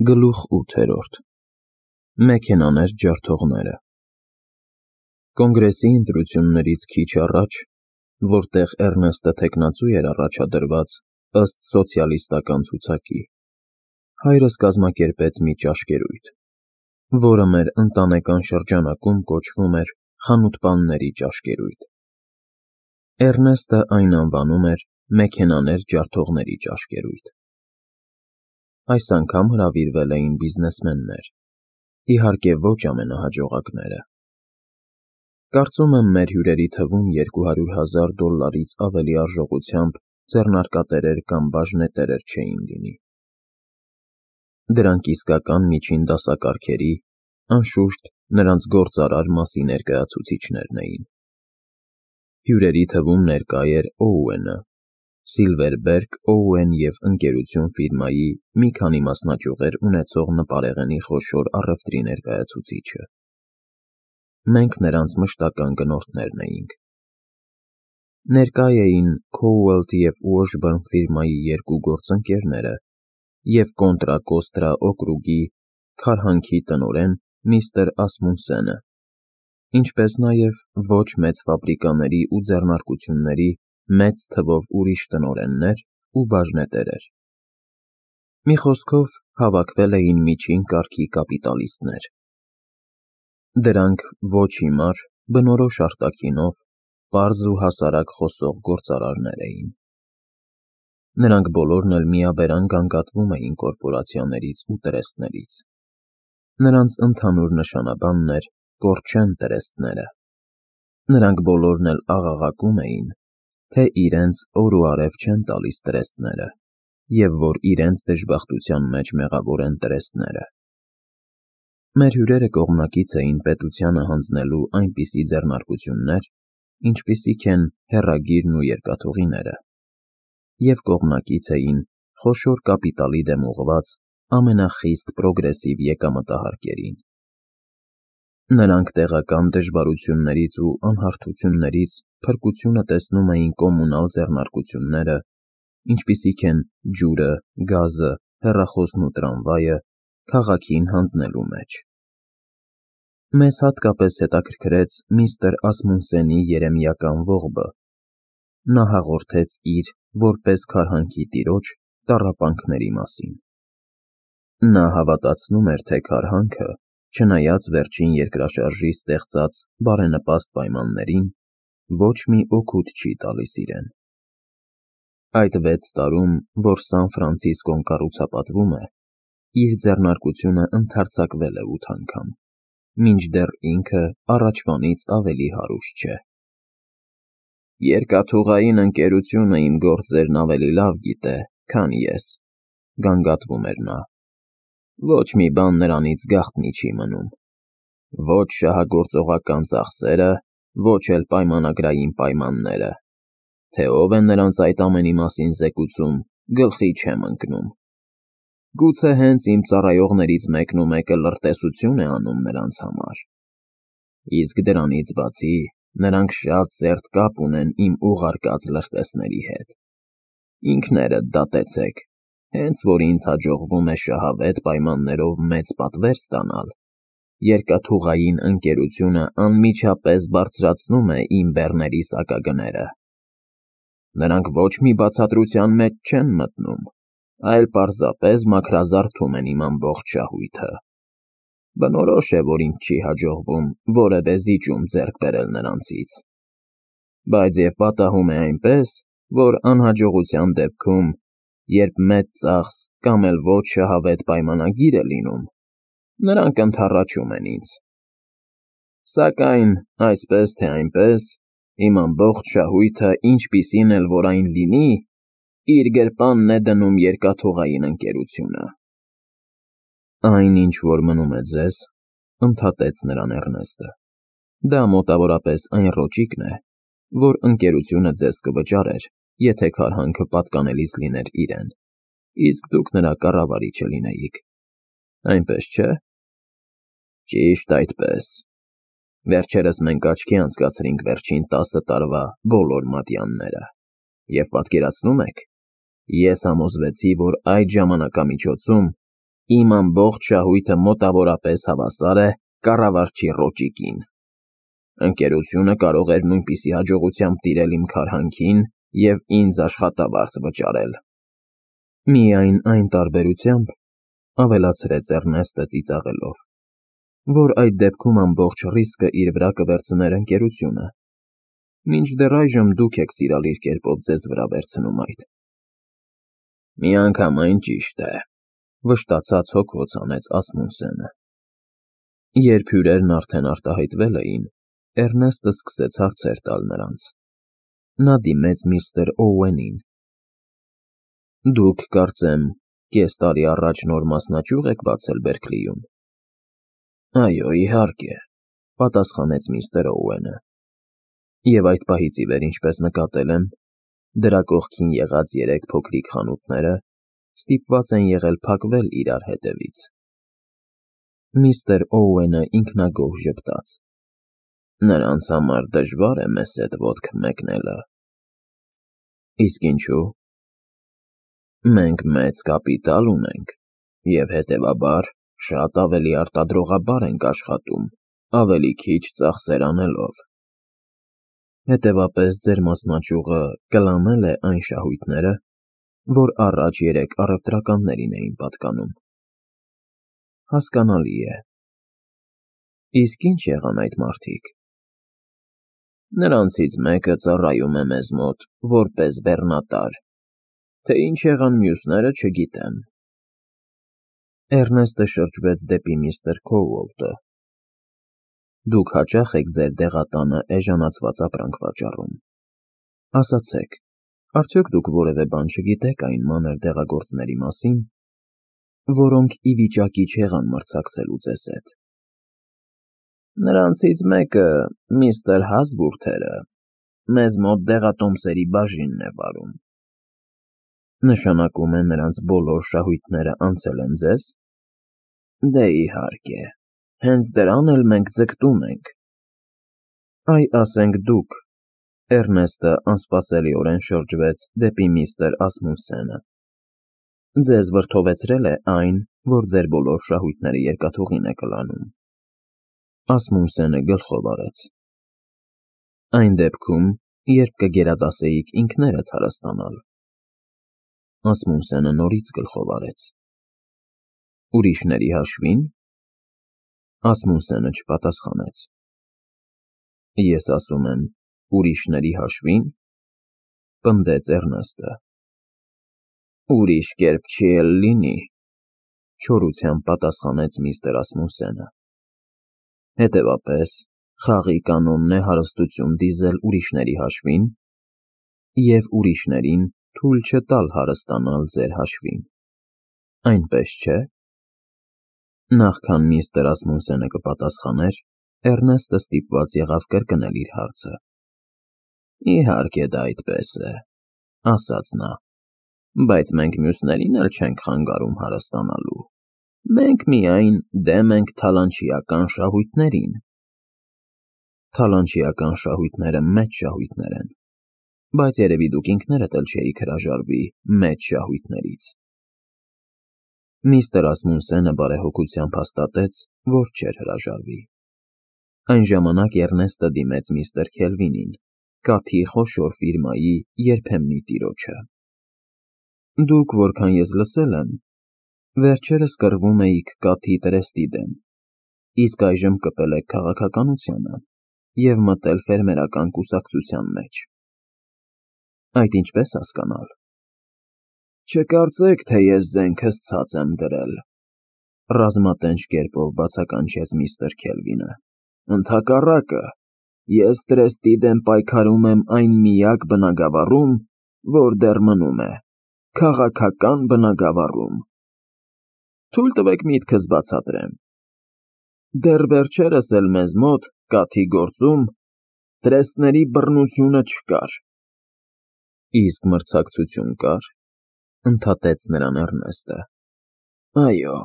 Գլուխ 8. Մեքենաներ ջարդողները։ Կոնգրեսի ընտրություններից քիչ առաջ, որտեղ Էռնեստը թեկնածու էր առաջադրված ըստ սոցիալիստական ցուցակի, հայրս կազմակերպեց մի ճաշկերույթ, որը մեր ընտանեկան շրջանակում կոչվում էր խանութպանների ճաշկերույթ։ Էռնեստը այն անվանում էր մեքենաներ ջարդողների ճաշկերույթ։ Այս անգամ հրավիրվել էին բիզնեսմեններ, իհարկե ոչ ամենահաջողակները։ Կարծում եմ մեր հյուրերի թվում $200,000-ից ավելի արժողությամբ ձեռնարկատերեր կամ բաժնետերեր չէին լինի։ Դրանք իսկական միջին դասակարգերի, անշուշտ, նրանց գործարար մասի ներկայացուցիչներն էին։ Հյուրերի թվում ներկա էր Օուենը, Սիլվերբերգ, Օուեն և ընկերություն ֆիրմայի մի քանի մասնաճյուղեր ունեցող նպարեղենի խոշոր առևտրի ներկայացուցիչը։ Մենք նրանց մշտական գնորդներն էինք։ Ներկա էին Քոուելթ և Ուոշբըրն ֆիրմայի երկու գործընկերները և Կոնտրա Կոստրա օկրուգի քարհանքի տնօրեն միստր Ասմունսենը, ինչպես նաև ոչ մեծ ֆաբրիկաների ու ձեռնարկությունների մեծ թվով ուրիշ տնօրեններ ու բաժնետերեր։ Մի խոսքով, հավաքվել էին միջին կարգի կապիտալիստներ։ Դրանք ոչ հիմար, բնորոշ արտաքինով, պարզ ու հասարակ խոսող գործարարներ էին։ Նրանք բոլորն էլ միաբերան գանգատվում էին կորպորացիաներից ու տրեստներից։ Նրանց ընդհանուր նշանաբանն էր կորչեն տրեստները։ Նրանք բոլորն էլ աղաղակում էին, թե իրենց օր ու արև չեն տալիս տրեստները, և որ իրենց դժբախտության մեջ մեղավոր են տրեստները։ Մեր հյուրերը կողմնակից էին պետությանը հանձնելու այնպիսի ձեռնարկություններ, ինչպիսիք են հեռագիրն ու երկաթուղիները, և կողմնակից էին խոշոր կապիտալի դեմ ուղղված ամենախիստ պրոգրեսիվ եկամտահարկերին։ Նրանք տեղական դժվարություններից ու անհարթություններից փրկությունը տեսնում էին կոմունալ ձեռնարկությունները, ինչպիսիք են ջուրը, գազը, հեռախոսն ու տրամվայը, քաղաքին հանձնելու մեջ։ Մեզ հատկապես հետաքրքրեց միստր Ասմունսենի երեմիական ողբը։ Նա հաղորդեց իր, որպես քարհանքի տիրոջ, տառապանքների մասին։ Նա հավատացնում էր, թե քարհանքը, չնայած վերջին երկրաշարժի ստեղծած բարենպաստ պայմաններին, ոչ մի օգուտ չի տալիս իրեն։ Այդ 6 տարում, որ Սան Ֆրանցիսկոն կառուցապատվում է, իր ձեռնարկությունը ընդարձակվել է 8 անգամ, մինչդեռ ինքը առաջվանից ավելի հարուստ չէ։ Երկաթուղային ընկերությունը իմ գործերն ավելի լավ գիտե, քան ես, գանգատվում էր նա։ Ոչ մի բան նրանից գաղտնի չի մնում։ Ոչ շահագործողական ծախսերը, ոչ էլ պայմանագրային պայմանները։ Թե ով է նրանց այդ ամենի մասին զեկուցում, գլխի չեմ ընկնում։ Գուցե հենց իմ ծառայողներից մեկն ու մեկը լրտեսություն է անում նրանց համար։ Իսկ դրանից բացի, նրանք շատ սերտ կապ ունեն իմ ուղարկած լրտեսների հետ։ Ինքներդ դատեցեք, հենց որ ինձ հաջողվում է շահավետ պայմաններով մեծ պատվեր ստանալ, երկաթուղային ընկերությունը անմիջապես բարձրացնում է իմ բեռների սակագները։ Նրանք ոչ մի բացատրության մեջ չեն մտնում, այլ պարզապես մաքրազարդում են իմ ամբողջ շահույթը։ Բնորոշ է, որ ինձ չի հաջողվում որևէ զիջում ձեռք բերել նրանցից։ Բայց և պատահում է այնպես, որ անհաջողության դեպքում, երբ մեծ ծախս կամ էլ ոչ շահավետ պայմանագիր է լինում, նրանք ընդառաջում են ինձ։ Սակայն, այսպես թե այնպես, իմ ամբողջ շահույթը, ինչպիսին էլ որ այն լինի, իր գրպանն է դնում երկաթուղային ընկերությունը։ Այն, ինչ որ մնում է ձեզ, ընդհատեց նրան Էռնեստը, դա մոտավորապես այն ռոճիկն է, որ ընկերությունը ձեզ կվճարեր, եթե քարհանքը պատկանելիս լիներ իրեն, իսկ դուք նրա կառավարիչը լինեիք։ Այնպես չէ՞։ Ճիշտ այդպես։ Վերջերս մենք աչքի անցկացրինք վերջին 10 տարվա բոլոր մատյանները, և պատկերացնու՞մ եք, ես համոզվեցի, որ այդ ժամանակամիջոցում Իմ ամբողջ շահույթը մոտավորապես հավասար է կառավարչի ռոճիկին։ Ընկերությունը կարող էր նույնպիսի հաջողությամբ տիրել իմ քարհանքին և ինձ աշխատավարձ վճարել։ Միայն այն տարբերությամբ, ավելացրեց Էռնեստը ծիծաղելով, որ այդ դեպքում ամբողջ ռիսկը իր վրա կվերցներ ընկերությունը, մինչդեռ այժմ դուք եք սիրալիր կերպով ձեզ վրա վերցնում այդ։ Միանգամայն ճիշտ է, վշտացած հոգոց անեց Ասմունսենը։ Երբ հյուրերն արդեն արտահայտվել էին, Էռնեստը սկսեց հարցեր տալ նրանց։ Նա դիմեց միստր Օուենին։ Դուք, կարծեմ, կես տարի առաջ նոր մասնաճյուղ եք բացել Բերքլիում։ Այո, իհարկե, պատասխանեց միստր Օուենը։ Եվ այդ պահից ի վեր, ինչպես նկատել եմ, դրա կողքին եղած 3 փոքրիկ խանութները ստիպված են եղել փակվել իրար հետևից։ Միստր Օուենը ինքնագոհ ժպտաց։ Նրանց համար դժվար է մեզ հետ ոտք մեկնելը։ Իսկ ինչու։ Մենք մեծ կապիտալ ունենք և հետևաբար շատ ավելի արտադրողաբար ենք աշխատում, ավելի քիչ ծախսեր անելով։ Հետևապես ձեր մասնաճյուղը կլանել է այն շահույթները, որ առաջ 3 առևտրականներին էին պատկանում։ Հասկանալի է։ Իսկ ինչ եղան այդ մարդիկ։ Նրանցից մեկը ծառայում է մեզ մոտ որպես բեռնատար, թե ինչ եղան մյուսները չգիտեմ։ Էռնեստը շրջվեց դեպի միստր Քոուոլտը։ Դուք հաճախ եք ձեր դեղատանը էժանացված ապրանք վաճառում։ Ասացեք, արդյոք դուք որևէ բան չգիտեք այն մանր դեղագործների մասին, որոնք ի վիճակի չեղան մրցակցելու ձեզ հետ։ Նրանցից մեկը, միստր Հասբուրթերը, մեզ մոտ դեղատոմսերի բաժինն է վարում։ Նշանակում է նրանց բոլոր շահույթները անցել են ձեզ։ Դե իհարկե, հենց դրան էլ մենք ձգտում ենք։ Այ ասենք դուք, Էռնեստը անսպասելիորեն շրջվեց դեպի միստր Ասմունսենը։ Ձեզ վրդովեցրել է այն, որ ձեր բոլոր շահույթները երկաթուղին է կլանում։ Ասմունսենը գլխով արեց։ Այն դեպքում, երբ կգերադասեիք ինքներդ հարստանալ։ Ասմունսենը նորից գլխով արեց։ Ուրիշների հաշվին։ Ասմունսենը չպատասխանեց։ Ես ասում եմ, ուրիշների հաշվին, պնդեց Էռնեստը։ Ուրիշ կերպ չի էլ լինի, չորությամբ պատասխանեց միստր Ասմունսենը։ Հետևապես, խաղի կանոնն է հարստություն դիզել ուրիշների հաշվին և ուրիշներին թույլ չտալ հարստանալ ձեր հաշվին։ Այնպես չէ։ Նախքան միստր Ասմունսենը կպատասխաներ, Էռնեստը ստիպված եղավ կրկնել իր հարցը։ Իհարկե դա այդպես է, ասաց նա, բայց մենք մյուսներին էլ չենք խանգարում հարստանալու։ Մենք միայն դեմ ենք թալանչիական շահույթներին։ Թալանչիական շահույթները մեծ շահույթներ են, բայց երևի դուք ինքներդ էլ չէիք հրաժարվի մեծ շահույթներից։ Միստր Ասմունսենը բարեհոգությամբ հաստատեց, որ չէր հրաժարվի։ Այն ժամանակ Էռնեստը դիմեց միստր Քելվինին, կաթի խոշոր ֆիրմայի երբեմնի տիրոջը։ Դուք, որքան ես լսել եմ, վերջերս կռվում էիք կաթի տրեստի դեմ, իսկ այժմ կպել եք քաղաքականությանը և մտել ֆերմերական կուսակցության մեջ։ Այդ ինչպես հասկանալ։ Չկարծեք, թե ես զենքս ցած եմ դրել, ռազմատենչ կերպով բացականչեց միստր Քելվինը։ Ընդհակառակը, ես տրեստի դեմ պայքարում եմ այն միակ բնագավառում, որ դեռ մնում է, քաղաքական բնագավառում։ Թույլ տվեք միտքս բացատրեմ։ Դեռ վերջերս էլ մեզ մոտ, կաթի գործում, տրեստների բռնությունը չկար։ Իսկ մրցակցություն կար, ընդհատեց նրան Էռնեստը։ Այո,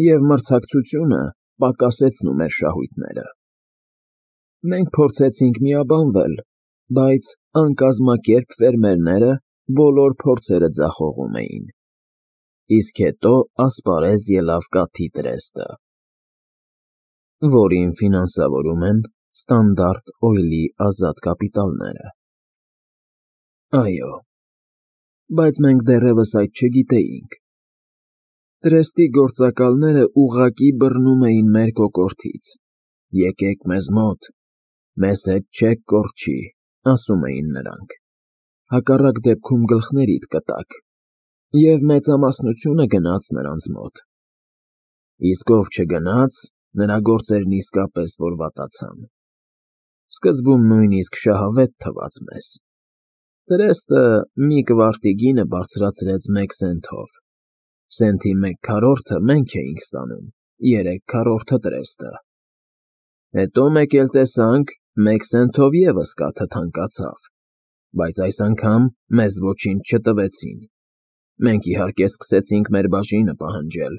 և մրցակցությունը պակասեցնում էր շահույթները։ Մենք փորձեցինք միաբանվել, բայց անկազմակերպ ֆերմերները բոլոր փորձերը ձախողում էին։ իսկ հետո ասպարեզ ելավ կաթի տրեստը, որին ֆինանսավորում են Standard Oil-ի ազատ կապիտալները։ Այո, բայց մենք դեռևս այդ չգիտեինք։ Տրեստի գործակալները ուղղակի բռնում էին մեր կոկորդից. «Եկեք մեզ մոտ, մեզ հետ չեք կորչի», ասում էին նրանք, հակառակ դեպքում գլխներիդ կտաք, և մեծամասնությունը գնաց նրանց մոտ։ Իսկ ով չգնաց, նրա գործերն իսկապես որ վատացան։ Սկզբում նույնիսկ շահավետ թվաց մեզ։ Տրեստը մի կվարտի գինը բարձրացրեց 1 սենթով, սենթի 1/4-ը մենք էինք ստանում, 3/4-ը տրեստը։ Հետո մեկ էլ տեսանք, 1 սենթով ևս կաթը թանկացավ, բայց այս անգամ մեզ ոչինչ չտվեցին։ Մենք իհարկե սկսեցինք մեր բաժինը պահանջել,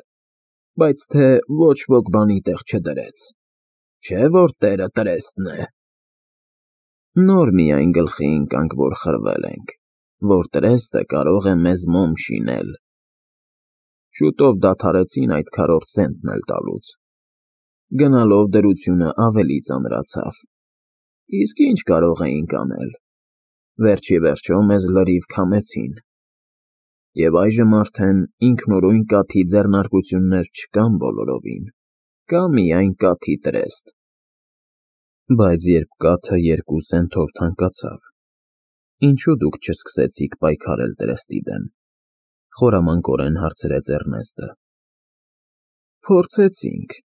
բայց թե ոչ ոք բանի տեղ չդրեց, չէ՞ որ տերը տրեստն է։ Նոր միայն գլխի ընկանք, որ խրվել ենք, որ տրեստը կարող է մեզ մոմ շինել։ Շուտով դադարեցին այդ 1/4 սենտն էլ տալուց։ Գնալով դրությունը ավելի ծանրացավ։ Իսկ ինչ կարող էինք անել։ Վերջիվերջո մեզ լրիվ քամեցին։ Եվ այժմ արդեն ինքնուրույն կաթի ձեռնարկություններ չկան բոլորովին, կա միայն կաթի տրեստ։ Բայց երբ կաթը 2 սենթով թանկացավ, ինչու դուք չսկսեցիք պայքարել տրեստի դեմ, խորամանկորեն հարցրեց Էռնեստը։ Փորձեցինք։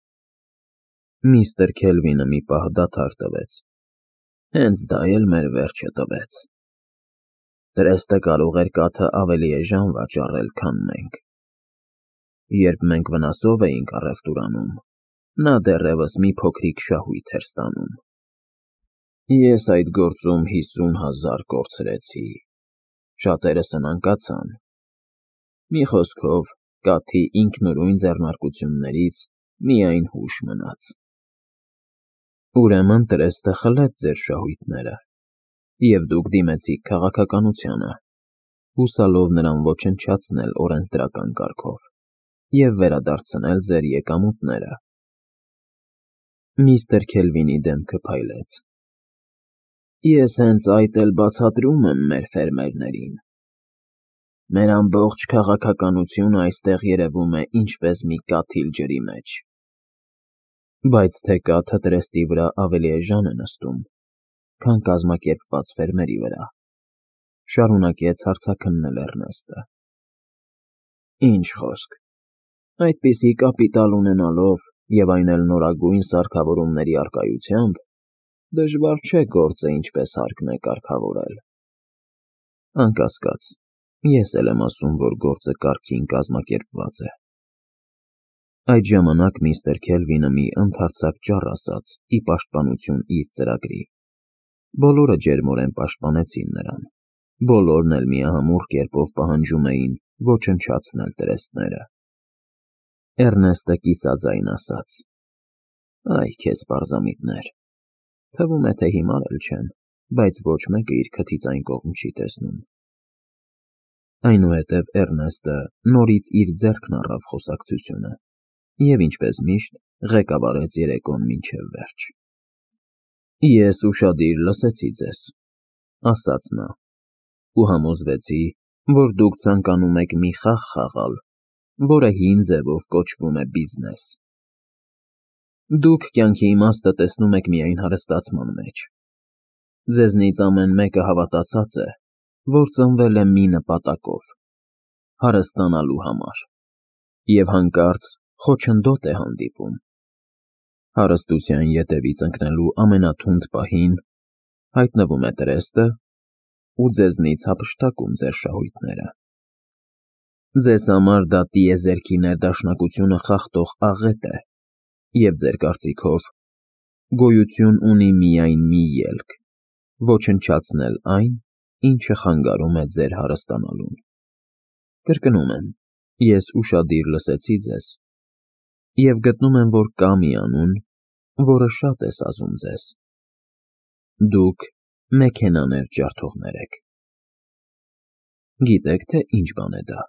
Միստր Քելվինը մի պահ դադար տվեց։ Հենց դա էլ մեր վերջը տվեց։ Տրեստը կարող էր կաթը ավելի էժան վաճառել, քան մենք։ Երբ մենք վնասով էինք առևտուրանում, նա դեռևս մի փոքրիկ շահույթ էր ստանում։ Ես այդ գործում 50,000 կորցրեցի, շատերը սնանկացան։ Մի խոսքով, կաթի ինքնուրույն ձեռնարկություններից միայն հուշ մնաց։ Ուրեմն տրեստը խլեց ձեր շահույթները, և դուք դիմեցիք քաղաքականությանը, հուսալով նրան ոչնչացնել օրենսդրական կարգով և վերադարձնել ձեր եկամուտները։ Միստր Քելվինի դեմքը փայլեց։ Ես հենց այդ էլ բացատրում եմ մեր ֆերմերներին։ Մեր ամբողջ քաղաքականությունը այստեղ երևում է ինչպես մի կաթիլ ջրի մեջ։ Բայց թե կաթը տրեստի վրա ավելի էժան է նստում, քան կազմակերպված ֆերմերի վրա, շարունակեց հարցաքննել Էռնեստը։ Ինչ խոսք, այդպիսի կապիտալ ունենալով և այն էլ նորագույն սարքավորումների առկայությամբ, դժվար չէ գործը ինչպես հարկն է կարգավորել։ Անկասկած, ես էլ եմ ասում, որ գործը կարգին կազմակերպված է։ Այդ ժամանակ միստր Քելվինը մի ընդարձակ ճառ ասաց ի պաշտպանություն իր ծրագրի։ Բոլորը ջերմորեն պաշտպանեցին նրան։ Բոլորն էլ միահամուռ կերպով պահանջում էին ոչնչացնել տրեստները։ Էռնեստը կիսաձայն ասաց. Այ քեզ պարզամիտներ։ Թվում է, թե հիմար էլ չեն, բայց ոչ մեկը իր քթից այն կողմ չի տեսնում։ Այնուհետև Էռնեստը նորից իր ձեռքն առավ խոսակցությունը և, ինչպես միշտ, ղեկավարեց երեկոն մինչև վերջ։ Ես ուշադիր լսեցի ձեզ, ասաց նա, ու համոզվեցի, որ դուք ցանկանում եք մի խաղ խաղալ, որը հին ձևով կոչվում է բիզնես։ Դուք կյանքի իմաստը տեսնում եք միայն հարստացման մեջ։ Ձեզնից ամեն մեկը հավատացած է, որ ծնվել է մի նպատակով՝ հարստանալու համար, և հանկարծ խոչընդոտ է հանդիպում։ Հարստության ետևից ընկնելու ամենաթունդ պահին հայտնվում է տրեստը ու ձեզնից հափշտակում ձեր շահույթները։ Ձեզ համար դա տիեզերքի ներդաշնակությունը խախտող աղետ է, և ձեր կարծիքով գոյություն ունի միայն մի ելք՝ ոչնչացնել այն, ինչը խանգարում է ձեր հարստանալուն։ Կրկնում եմ, ես ուշադիր լսեցի ձեզ և գտնում եմ, որ կա մի անուն, որը շատ է սազում ձեզ։ Դուք մեքենաներ ջարդողներ եք։ Գիտեք, թե ինչ բան է դա։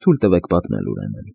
Թույլ տվեք պատմել, ուրեմն։